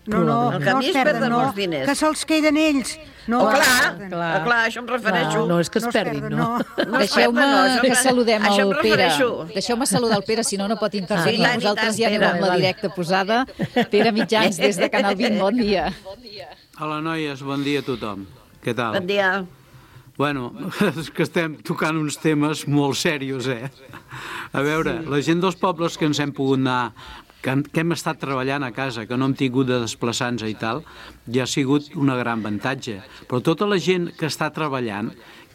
No, no, El no camí es es perden, perden no, molts diners. que se'ls queden ells. No, Oh, es clar, perden. clar. clar, clar, això em refereixo. Clar, no és que es No es perdin, perden, no. no. No es Deixeu-me perden, no, això que em- saludem això em el Pere. refereixo. Deixeu-me saludar el Pere, si no, no pot intervenir. Sí, tant, i Nosaltres tant, ja anem Pere. amb la directa posada. Pere Mitjans, des de Canal vint, bon dia. Hola, noies, bon dia a tothom. Què tal? Bon dia. Bueno, és que estem tocant uns temes molt serios, eh? A veure, sí. La gent dels pobles que ens hem pogut anar, que hem, que hem estat treballant a casa, que no hem tingut de desplaçar-nos i tal, ja ha sigut una gran avantatge. Però tota la gent que està treballant,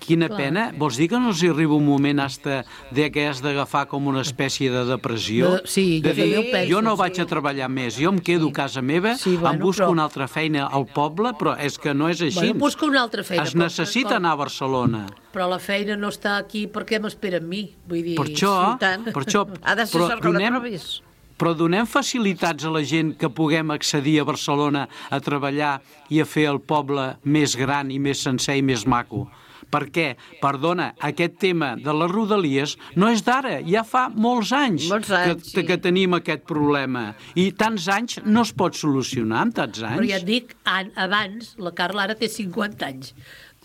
quina Clar. pena. Vols dir que no els hi arriba un moment hasta de que has d'agafar com una espècie de depressió? De- sí, de jo dir, també ho penso, jo no sí. vaig a treballar més, jo em quedo a casa meva, Sí, bueno, em busco però- una altra feina al poble, però és que no és així. Bueno, busca una altra feina. Es però- necessita però- anar a Barcelona. Però la feina no està aquí perquè m'espera amb mi. Vull dir... Per això, Sí, tant. per això Ha de ser però sort que la donem, trobis. però donem facilitats a la gent que puguem accedir a Barcelona a treballar i a fer el poble més gran i més sencer i més maco. Perquè, perdona, aquest tema de les rodalies no és d'ara, ja fa molts anys, Molts anys, que, sí. que tenim aquest problema. I tants anys no es pot solucionar en tants anys. Però ja et dic, an- abans, la Carla ara té cinquanta anys.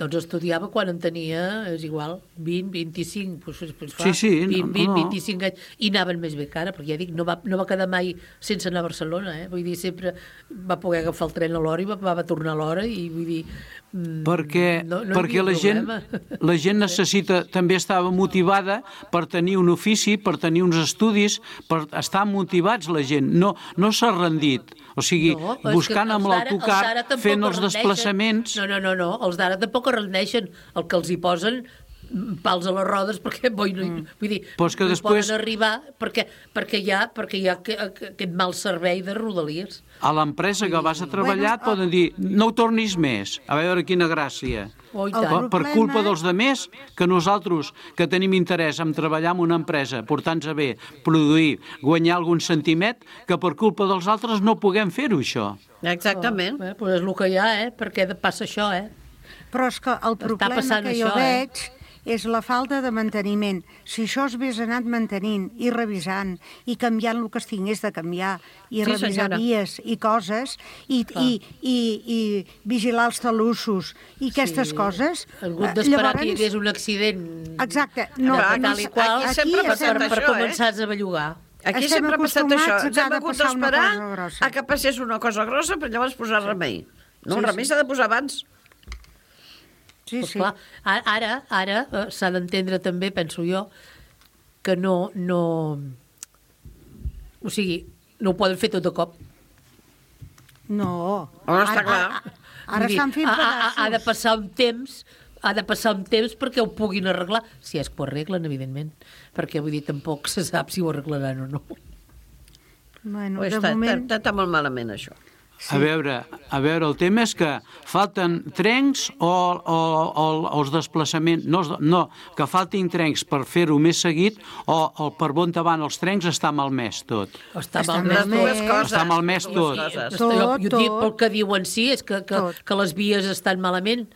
Doncs estudiava quan en tenia, és igual, vint, vint-i-cinc, doncs, doncs fa, Sí, sí, no, vint, vint, no. vint-i-cinc anys, i anaven més bé que ara, perquè ja dic, no va, no va quedar mai sense anar a Barcelona, eh? Vull dir, sempre va poder agafar el tren a l'hora i va, va tornar a l'hora, i vull dir... mm, Perquè, no, no hi perquè havia la, gent, problema. la gent necessita, també estava motivada per tenir un ofici, per tenir uns estudis, per estar motivats la gent, no, no s'ha rendit. O sigui, No, és buscant que amb els d'ara- l'autocar, els d'ara tampoc fent els es rendeixen. desplaçaments... No, no, no, no, els d'ara tampoc es rendeixen. El que els hi posen mm, pals a les rodes perquè boi no, mm. vull dir, Però és que no hi després- poden arribar perquè, perquè hi ha, perquè hi ha que- que- aquest mal servei de Rodalies. A l'empresa que vas a treballar et poden dir no ho tornis més, a veure quina gràcia. Oh, i El tant. Per, per problema- culpa dels demés, que nosaltres que tenim interès en treballar en una empresa, portar-nos a bé, produir, guanyar algun centimet, que per culpa dels altres no puguem fer-ho, això. Exactament. Eh, doncs és el que hi ha, eh? Perquè passa això, eh? Però és que el problema passant que jo això, eh? veig és la falta de manteniment. Si això es hagués anat mantenint i revisant i canviant el que es tingués de canviar i Sí, revisar senyora. vies i coses i, i, i, i vigilar els talussos i aquestes Sí. coses... Ha hagut eh, d'esperar que hi hagués un accident Exacte. No, de aquí- tal i qual aquí sempre ha per, passat per, per això, eh? començar a bellugar. Aquí Estem sempre ha passat això. acostumats a Ens hem cada hagut passar una d'esperar cosa grossa. a que passés una cosa grossa per llavors posar remei. No, el Sí, remei s'ha de posar abans. Sí, Pues sí. clar, a- ara ara eh, s'ha d'entendre també, penso jo, que no, no... O sigui, no ho poden fer tot de cop. No. Home, està Ara- clar. Ara, ara Vull dir, estan fent ha, ha, pedaços. ha de passar un temps ha de passar un temps perquè ho puguin arreglar, si és que ho arreglen, evidentment, perquè vull dir, tampoc se sap si ho arreglaran o no. Bueno, Pues de està, moment... està, està molt malament, això. A veure, a veure, el tema és que falten trens o, o, o els desplaçaments... No, els- no, que faltin trens per fer-ho més seguit o, o per on van els trens està malmès tot. Està Està malmès Les dues malmès. coses. Està malmès dues tot. coses. Jo, jo Tot, dic tot. pel que diuen sí, és que, que, Tot. que les vies estan malament,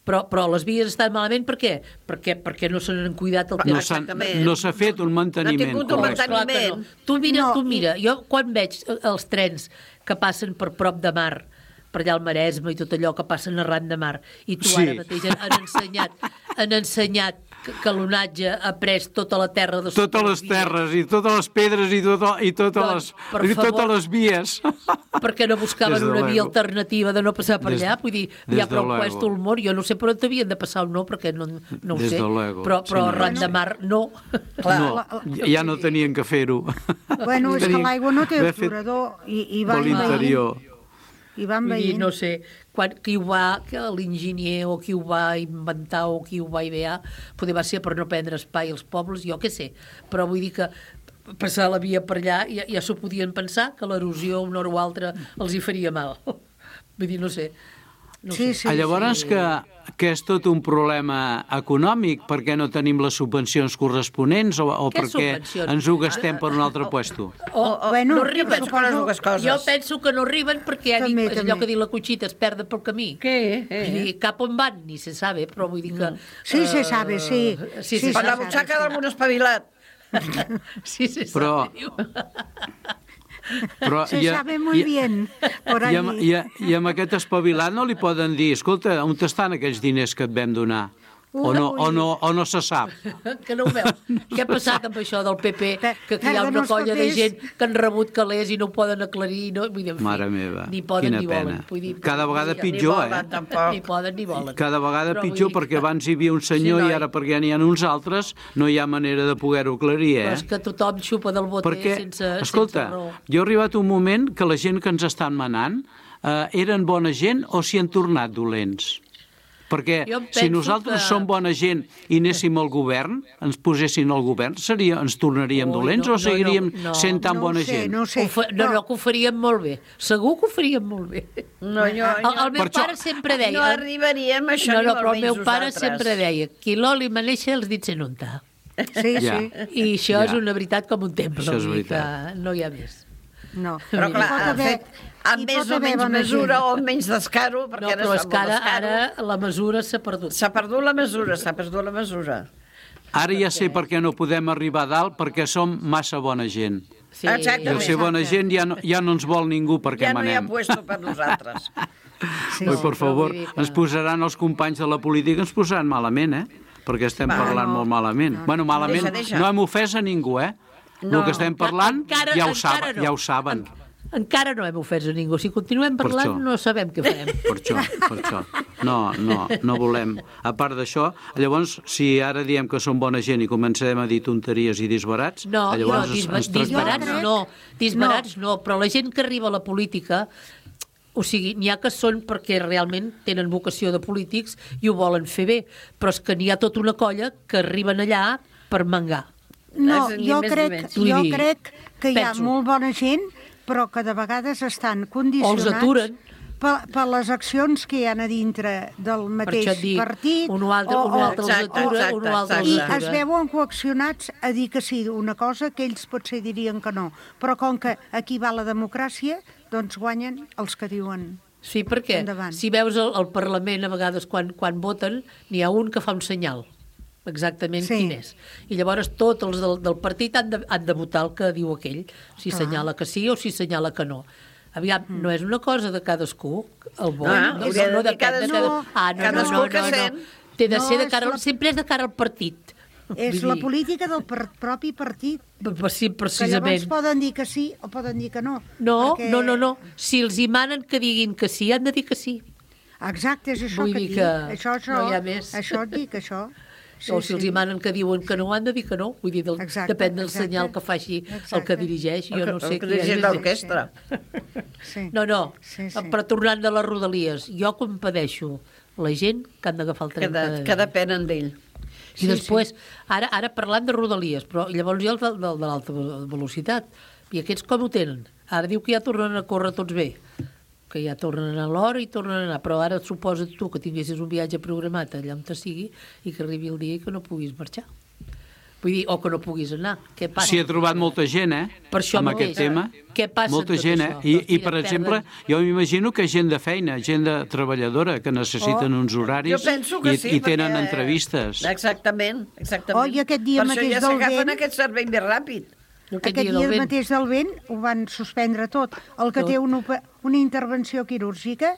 però, però les vies estan malament per què? Perquè, perquè no se n'han cuidat el No temps. s'ha Exactament. no s'ha fet un manteniment tingut un correcte. Clar que no. Tu mira, No, tu mira, jo quan veig els trens que passen per prop de mar, per allà al Maresme i tot allò que passen arran de mar, i tu Sí. ara mateix han ensenyat, han ensenyat que, que l'onatge ha pres tota la terra de sota Totes les terres i totes les pedres i, tot, i, totes, Doncs, les, per i totes favor. les vies. perquè no buscaven Des de una via luego. alternativa de no passar per Des- allà, vull dir, des hi ha de prou luego. puesto el món, jo no sé per on havien de passar o no, perquè no, no ho Des sé, de luego. però, però Sí, no, arran no de sé. mar no. Clar. No, ja no tenien que fer-ho. Bueno, és que Tenien l'aigua no té d'haver fet aturador i, i de van veient. l'interior. I van Vull dir, veient. no sé, quan, qui ho va, que l'enginyer o qui ho va inventar o qui ho va idear, poder va ser per no prendre espai als pobles, jo què sé, però vull dir que passar la via per allà ja, ja s'ho podien pensar, que l'erosió una hora o altra els hi faria mal. Vull dir, no sé. No Sí, sé. sí, Ah, Llavors que, que és tot un problema econòmic perquè no tenim les subvencions corresponents o, o Què perquè subvencions? ens ho gastem per un altre puesto. O, o- bueno, no arriben. penso que les dues coses. Jo penso que no arriben perquè ja dic, També, és allò també. que diu la Cuchita, es perden pel camí. Què? Vull dir, cap on van, ni se sabe, però vull dir que... Sí, se eh, sabe, sí. Sí, Sí, se Per la sabe. butxaca d'algun espavilat. Sí, se Però- sabe, diu. Però Se i a- sabe muy i a- bien. Por I amb, allí. i, a, I amb aquest espavilat no li poden dir, escolta, on estan aquells diners que et vam donar? O no, o no, o no se sap. Que no ho veus? Què ha passat amb això del P P? Per- Que aquí hi ha perden una els colla de papers. gent que han rebut calés i no ho poden aclarir. No? Vull dir, en fi, Mare meva, ni poden quina ni volen. pena. Vull dir, Cada vegada ni- pitjor, Ni volen, eh? tampoc. Ni poden ni volen. Cada vegada Però vull pitjor, dir perquè que- abans hi havia un senyor Sí, i noi. ara perquè n'hi ha uns altres no hi ha manera de poder-ho aclarir, Però eh? és que tothom xupa del boter Perquè, sense, escolta, sense raó. jo he arribat un moment que la gent que ens estan manant eh, eren bona gent o s'hi han tornat dolents. Perquè Jo em si penso nosaltres que- som bona gent i anéssim al govern, ens posessin al govern, seria, ens tornaríem Ui, dolents no, o seguiríem no, no, sent tan no bona ho sé, gent? no ho sé. Ho fa, no, no, que ho faríem molt bé. Segur que ho faríem molt bé. No, jo, El, el meu Per això- pare sempre deia... no arribaríem a això no, ni no, molt però el menys meu pare nosaltres. sempre deia qui l'oli maneja els dits en unta. Sí, Ja. sí. I això Ja. és una veritat com un temple. Això és vull dir veritat. que no hi ha més. No. Però Hi clar, pot ha haver- fet amb hi més pot o haver menys bona mesura gent. o amb menys descaro, perquè No, ara però es és fa que molt ara, descaro. ara la mesura s'ha perdut. S'ha perdut la mesura, s'ha perdut la mesura. Ara ja sé per què no podem arribar a dalt, perquè som massa bona gent. Sí. I Exactament. al ser bona gent ja no, ja no ens vol ningú perquè Ja no hi ha manem. puesto per nosaltres. Sí, Oi, sí. per favor, vull dir que- ens posaran els companys de la política, ens posaran malament, eh? Perquè estem Va, parlant no. molt malament. Bueno, malament, Deixa, deixa. no hem ofès a ningú, eh? No. El que estem parlant Encara- ja ho encara saben. no. Ja ho saben. Encara no hem ofès a ningú. Si continuem Per parlant, això. no sabem què farem. Per això, per això. No, no, no volem. A part d'això, llavors, si ara diem que som bona gent i comencem a dir tonteries i disbarats, No, no, llavors disba ens disbarats tractaran. no, disbarats no. no, però la gent que arriba a la política, o sigui, n'hi ha que són perquè realment tenen vocació de polítics i ho volen fer bé, però és que n'hi ha tota una colla que arriben allà per mangar. No, És ni jo més ni crec, menys. Vull jo dir, crec que hi ha penso. molt bona gent, però que de vegades estan O els condicionats aturen. per, per les accions que hi ha a dintre del mateix això et dic, partit. un o altre- un o altre els Exacte, atura, exacte, un o altre els I exacte. atura. es veuen coaccionats a dir que sí, una cosa que ells potser dirien que no. Però com que aquí va la democràcia, doncs guanyen els que diuen. Sí, perquè Endavant. si veus el, el Parlament, a vegades, quan, quan voten, n'hi ha un que fa un senyal. exactament Sí. quin és. I llavors tots els del, del partit han de, han de votar el que diu aquell, si Clar. assenyala que sí o si assenyala que no. Aviam, Mm. no és una cosa de cadascú, el vot. Ah, no, hauria de no, dir depèn de cadascú. cada... Ah, no, Cadascú no, no, que no, sent. no. Té de No, ser de és cara, la- sempre és de cara al partit. És Vull la dir, política del per, propi partit. per- Sí, Que precisament. llavors poden dir que sí o poden dir que no. No, perquè... no, no, no. Si els hi manen que diguin que sí, han de dir que sí. Exacte, és això Vull que dir dic. que Això, això, no hi ha més. això et dic, això. Sí, o si els hi manen que diuen que no, han de dir que no. Vull dir, del, Exacte, depèn del exacte. senyal que faci Exacte. el que dirigeix. Jo no sé El que qui és. dirigeix l'orquestra. Sí. No, no, Sí, sí. però tornant de les rodalies, jo compadeixo la gent que han d'agafar el Que, tren de, cada que dia. depenen d'ell. I després, ara, ara parlant de rodalies, però llavors hi ha el de, de, de l'alta velocitat. I aquests com ho tenen? Ara diu que ja tornen a córrer tots bé, que ja tornen a l'hora i tornen a anar, però ara suposa tu que tinguessis un viatge programat allà on te sigui i que arribi el dia i que no puguis marxar. Vull dir, o que no puguis anar. Què passa? S'hi ha trobat molta gent, eh? Per això amb mateix. aquest tema. Què passa Molta amb tot gent, eh? això? I, Doncs i mira, per perden- exemple, jo m'imagino que gent de feina, gent de treballadora, que necessiten Oh. uns horaris Jo penso que i, sí, i tenen perquè- entrevistes. Exactament, exactament. Oh, i aquest dia per mateix això ja del s'agafen vent- aquest servei més ràpid. Aquest dia del vent. mateix del vent ho van suspendre tot. El que Tot. té una, ope- una intervenció quirúrgica,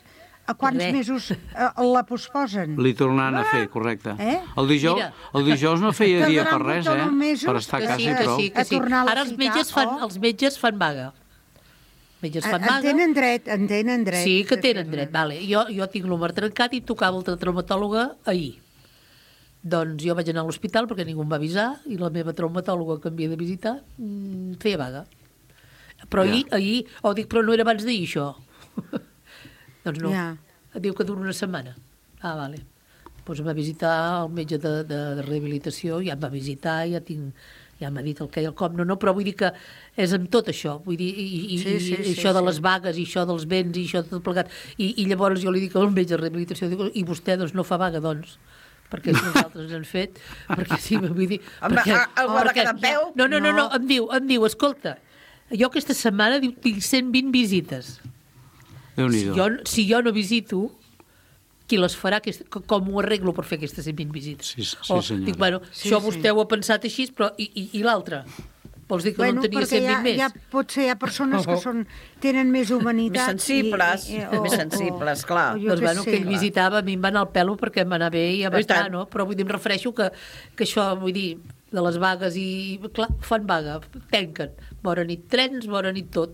a quants Res. mesos eh, la posposen? Li tornaran a fer, correcte. Eh? El, dijous, Mira. el dijous no feia dia Tardaran per res, tot eh? uns mesos Per estar a Que casa sí, i que prou. sí, que A sí. tornar a la Ara els ciutat, metges fan, oh. els metges fan vaga. Metges fan En vaga. tenen dret, en tenen dret. Sí, que de tenen fer-ne. dret, vale. Jo, jo tinc l'húmer trencat i tocava altra traumatòloga ahir. Doncs jo vaig anar a l'hospital perquè ningú em va avisar i la meva traumatòloga que em havia de visitar mm, feia vaga. Però Ja. ahir, ahir, oh, dic, però no era abans d'ahir, això. Doncs no. Ja. Diu que dura una setmana. Ah, vale. Doncs em va visitar el metge de, de, de rehabilitació, ja em va visitar, ja tinc ja m'ha dit el que i el com, no, no, però vull dir que és amb tot això, vull dir, i, i, Sí, sí, i sí, això de sí. les vagues, i això dels vents, i això de tot plegat, i, i llavors jo li dic al metge de rehabilitació, dic, i vostè doncs no fa vaga, doncs, perquè si nosaltres han fet, perquè sí, vull dir... Home, perquè, a- algú ha de quedar en peu? No, no, no, no, No. em diu, em diu, escolta, jo aquesta setmana diu, tinc cent vint visites. Si Déu-n'hi-do. jo, si jo no visito, qui les farà, aquest, com ho arreglo per fer aquestes cent vint visites? Sí, sí, o, senyora. dic, bueno, Sí, això sí. vostè ho ha pensat així, però i, i, i l'altre? Vols dir que Bueno, no en tenia perquè cent hi vint ha, més? hi ha, potser hi ha persones que són, tenen més Més humanitat. sensibles, i- i- més sensibles, clar. o jo Doncs què bueno, sé. que ell visitava, a mi em va anar al pelo perquè em va anar bé i ja va I estar, tant. no? Però vull dir, em refereixo que, que això, vull dir, de les vagues i... Clar, fan vaga, tanquen. Bona nit trens, bona nit tot.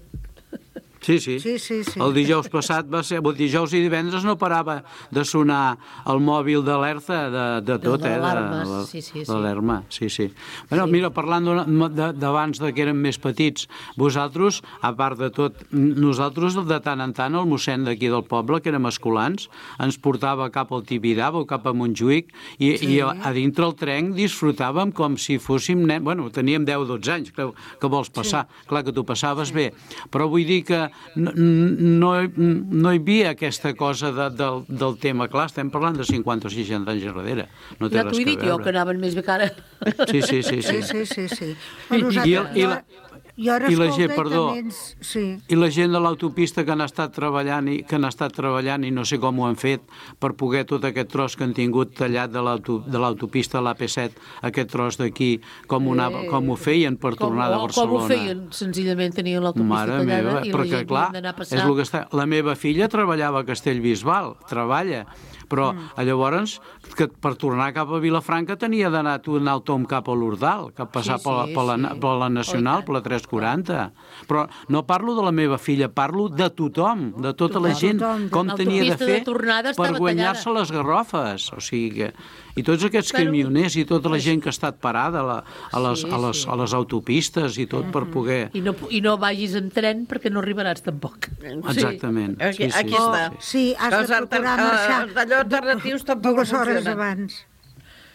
Sí, sí. Sí, sí, sí. El dijous passat va ser... El dijous i divendres no parava de sonar el mòbil d'alerta de, de tot, De eh? l'alarmes, de, sí, sí, sí. De l'alarma, sí, sí. Bueno, mira, parlant d'una- de- d'abans de que érem més petits, vosaltres, a part de tot, nosaltres de tant en tant, el mossèn d'aquí del poble, que érem escolans, ens portava cap al Tibidabo o cap a Montjuïc i, sí. i a, a dintre el tren disfrutàvem com si fóssim nens... Bueno, teníem deu o dotze anys, que, que vols passar? Sí. Clar que tu passaves sí. bé, però vull dir que no, no, no hi havia aquesta cosa de, del, del tema. Clar, estem parlant de cinquanta o seixanta anys darrere. No té Ja res t'ho he que dit jo, veure. que anaven més bé que ara. Sí, sí, sí. sí. Sí, sí, sí, sí. I, Però nosaltres, i, el, i, la, jo ara i la escolta gent, i perdó, també ens- Sí. i la gent de l'autopista que han estat treballant i que han estat treballant i no sé com ho han fet per poder tot aquest tros que han tingut tallat de l'auto- de l'autopista a l'A P set, aquest tros d'aquí, com, ho anava- com ho feien per tornar de com, Barcelona. Com ho feien? Senzillament tenien l'autopista Mare tallada meva, i la perquè gent clar, havia d'anar a és passar. el que està... La meva filla treballava a Castellbisbal, treballa, però mm. llavors que per tornar cap a Vilafranca tenia d'anar a un tom cap a l'Ordal, cap passar Sí, per, la, sí, per, la, sí. per la Nacional, Oh, i tant. per la tres quaranta. Però no parlo de la meva filla, parlo de tothom, de tota la Tothom, gent, tothom. com tenia de L'autopista de fer tornada per estava guanyar-se tallada. les garrofes. O sigui que... I tots aquests Però- camioners i tota la gent que ha estat parada a, la, a, les, Sí, a, les, sí. a les autopistes i tot per poder... I no, I no vagis en tren perquè no arribaràs tampoc. Exactament. Aquí, Sí, sí, aquí sí, està. sí. Sí, has de Els alter- procurar eh, marxar allò alternatius tampoc dues no hores funcionen. abans.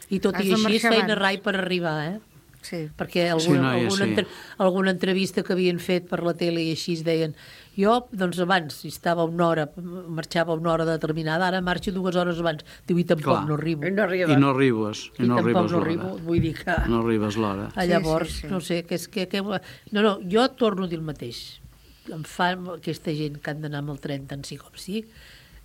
I tot Has i de així es marxar feien abans. rai per arribar, eh? Sí. Perquè Sí, alguna, noia, alguna, sí. entre, alguna entrevista que havien fet per la tele i així es deien jo, doncs abans, si estava una hora, marxava una hora determinada, ara marxo dues hores abans. Diu, i tampoc Clar. no arribo. I no arriba. I no arribes, i, I no tampoc arribes no l'hora. arribo. Vull dir que... No arribes l'hora. Ah, llavors, sí, sí. no sé, que és que, que... No, no, jo torno a dir el mateix. Em fan aquesta gent que han d'anar amb el tren tant sí com sí,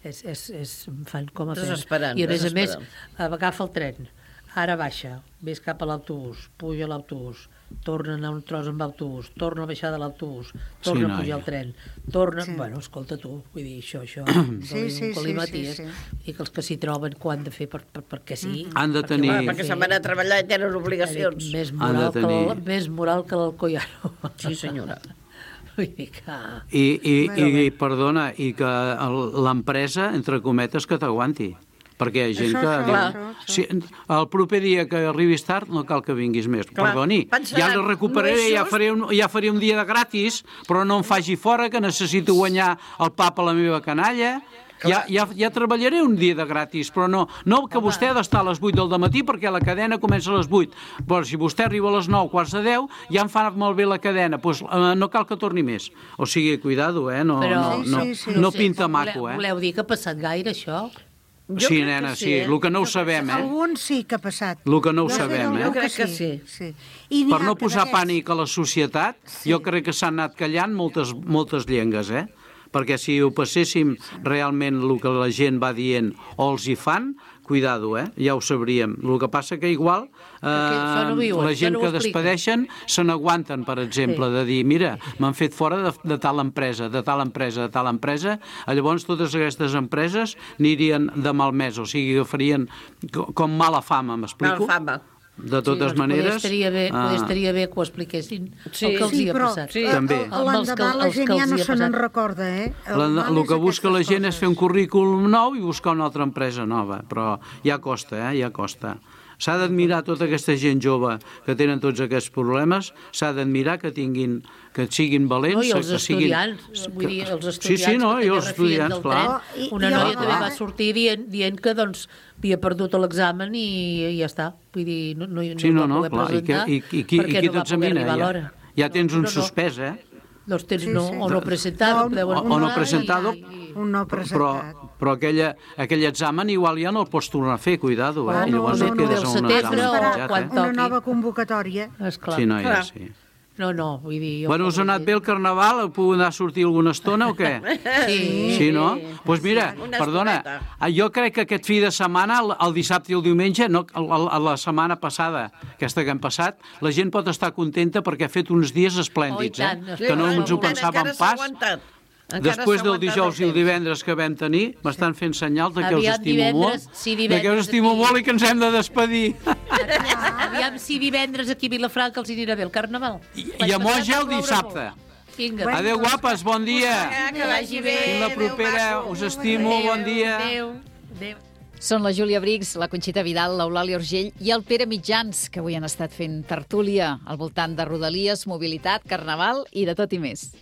és, és, és, em fan com a pena. Desesperant, I a més a més, desesperant. agafa el tren, ara baixa, ves cap a l'autobús, puja a l'autobús, torna a anar un tros amb l'autobús, torna a baixar de l'autobús, torna Sí, a pujar noia. al tren, torna... Sí. Bueno, escolta tu, vull dir, això, això... Sí, sí, sí, sí, sí. I que els que s'hi troben, que ho han de fer per, per, perquè sí. Han de perquè tenir- ho han de Perquè fer. se'n van a treballar i tenen obligacions. Més Han moral, de que tenir- el, més moral que l'Alcoiano. Sí, senyora. Vull dir que... I, i, Bueno, i, perdona, i que el- l'empresa, entre cometes, que t'aguanti. Perquè hi ha gent Això, que... això, diu, això, això. Si, el proper dia que arribis tard no cal que vinguis més. Clar, Perdoni, pensaran, ja el recuperaré, no és ja just. faré, un, ja faré un dia de gratis, però no em faci fora, que necessito guanyar el pa per la meva canalla. Ja, ja, ja treballaré un dia de gratis, però no, no que vostè ha d'estar a les vuit del dematí perquè la cadena comença a les vuit. Però si vostè arriba a les nou, quarts de deu, ja em fa malbé la cadena, doncs eh, no cal que torni més. O sigui, cuidado, eh? No, Però, no, no, Sí, sí, no sí. pinta maco, eh? Voleu dir que ha passat gaire, això? Jo Sí, crec nena, que sí, eh? el que no ho sabem, eh? Algun sí que ha passat. El que no ho Jo sé sabem, d'algun eh? Jo crec que sí. sí. I n'hi Per ha no que posar d'aquests- pànic a la societat, jo crec que s'han anat callant moltes, moltes llengues, eh? Perquè si ho passéssim realment el que la gent va dient o els hi fan, cuidado, eh? Ja ho sabríem. El que passa que igual eh, això no ho diuen, la això gent no ho que expliquen. despedeixen se n'aguanten, per exemple, de dir, mira, m'han fet fora de, de tal empresa, de tal empresa, de tal empresa, llavors totes aquestes empreses anirien de malmès, o sigui, que farien co- com mala fama, m'explico? Mala fama. De totes sí, doncs maneres... Poder estaria, bé, ah, poder estaria bé que ho expliquessin Sí. el que els Sí, hi ha però passat. Sí. eh, També. el- Amb els que- l'endemà la els gent que ja els no hi ha se n'en passat. recorda, eh? La, mal el és que busca la aquestes gent és coses. fer un currículum nou i buscar una altra empresa nova, però ja costa, eh? Ja costa. S'ha d'admirar tota aquesta gent jove que tenen tots aquests problemes, s'ha d'admirar que tinguin, que siguin valents. No, i els que siguin... estudiants, vull dir, els estudiants Sí, sí, no, que i també els refien estudiants, del clar. tren. Oh, i- Una i a noia la també va vegada- sortir dient, dient que doncs, havia perdut l'examen i, i ja està. Vull dir, no, no, no Sí, no, va no, poder clar, i, que, presentar i, i, qui, i perquè qui no va poder t'examina? arribar a Ja, l'hora. ja tens un No, no. suspès, eh? Doncs tens Sí, no, sí. o no presentat, No, o deuen o- o no posar presentado. i- Un no Però, presentat. però aquella, aquell examen igual ja no el pots tornar a fer, cuidado, eh? Oh, I no, llavors no, et no, quedes del a un setembre examen o penjat, quan eh? Una toqui. nova convocatòria. Esclar. Sí, noia, Clar. sí. No, no, vull dir... jo Bueno, us ha com anat dir- bé el carnaval? Heu pogut anar a sortir alguna estona o què? Sí. Sí, no? Doncs pues mira, Una perdona, estoneta. jo crec que aquest fi de setmana, el, el dissabte i el diumenge, no, el, el, la setmana passada, aquesta que hem passat, la gent pot estar contenta perquè ha fet uns dies esplèndids, Oh, i tant, eh? sí, Que no clar, ens ho encara pensàvem s'ha pas. aguantat. Encara Després s'ha del aguantat dijous i el temps. divendres que vam tenir, m'estan fent senyals de que Aviam, us estimo divendres, molt, sí, de que us divendres estimo aquí. molt i que ens hem de despedir. Aviam si divendres aquí a Vilafranca els hi anirà bé el carnaval. I, i a Moja el dissabte. Vinga. Adéu, guapes, bon dia. Que vagi bé. Fins la propera, us estimo, bon dia. Adéu. Adéu. Són la Júlia Briggs, la Conxita Vidal, l'Eulàlia Urgell i el Pere Mitjans, que avui han estat fent tertúlia al voltant de Rodalies, mobilitat, carnaval i de tot i més.